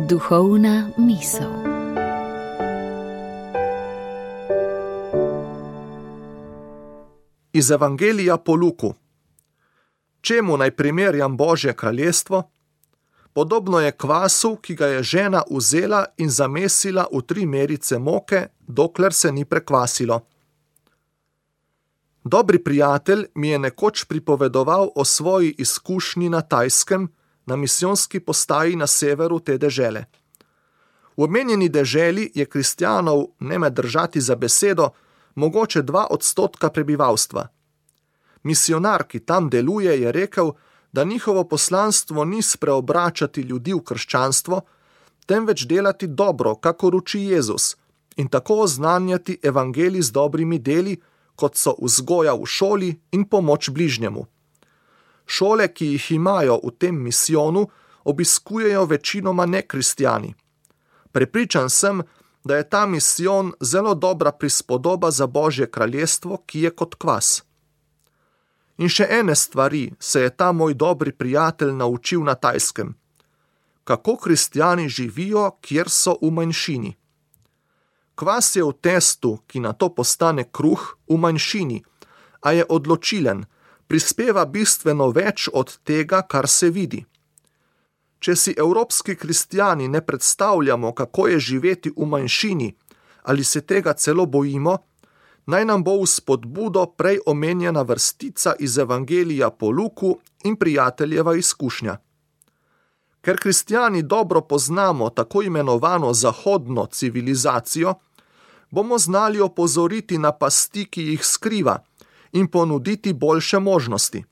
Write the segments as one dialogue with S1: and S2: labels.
S1: Duhovna misel.
S2: Iz Evangelija po Luku. Čemu naj primerjam Božje kraljestvo? Podobno je kvasu, ki ga je žena vzela in zamesila v 3 merice moke, dokler se ni prekvasilo. Dobri prijatelj mi je nekoč pripovedoval o svoji izkušnji na Tajskem, na misijonski postaji na severu te dežele. V omenjeni deželi je kristjanov, ne me držati za besedo, mogoče 2% prebivalstva. Misionar, ki tam deluje, je rekel, da njihovo poslanstvo ni spreobračati ljudi v krščanstvo, temveč delati dobro, kakor uči Jezus, in tako oznanjati evangelij z dobrimi deli, kot so vzgoja v šoli in pomoč bližnjemu. Šole, ki jih imajo v tem misijonu, obiskujejo večinoma nekristjani. Prepričan sem, da je ta misijon zelo dobra prispodoba za Božje kraljestvo, ki je kot kvas. In še ene stvari se je ta moj dobri prijatelj naučil na Tajskem. Kako kristjani živijo, kjer so v manjšini. Kvas je v testu, ki nato postane kruh, v manjšini, a je odločilen, prispeva bistveno več od tega, kar se vidi. Če si evropski kristjani ne predstavljamo, kako je živeti v manjšini, ali se tega celo bojimo, naj nam bo v spodbudo prej omenjena vrstica iz Evangelija po Luku in prijateljeva izkušnja. Ker kristjani dobro poznamo tako imenovano zahodno civilizacijo, bomo znali opozoriti na pasti, ki jih skriva, in ponuditi boljše možnosti.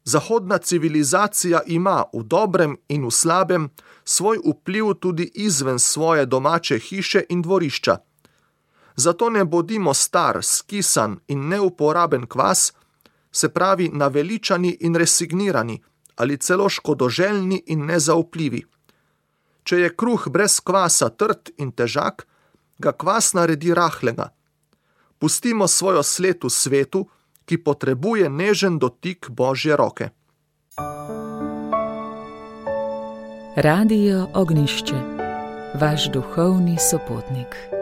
S2: Zahodna civilizacija ima v dobrem in v slabem svoj vpliv tudi izven svoje domače hiše in dvorišča. Zato ne bodimo star, skisan in neuporaben kvas, se pravi naveličani in resignirani, ali celo škodoželjni in nezaupljivi. Če je kruh brez kvasa trd in težak, ga kvas naredi rahlega. Pustimo svojo sled v svetu, ki potrebuje nežen dotik Božje roke.
S1: Radio Ognjišče, vaš duhovni sopotnik.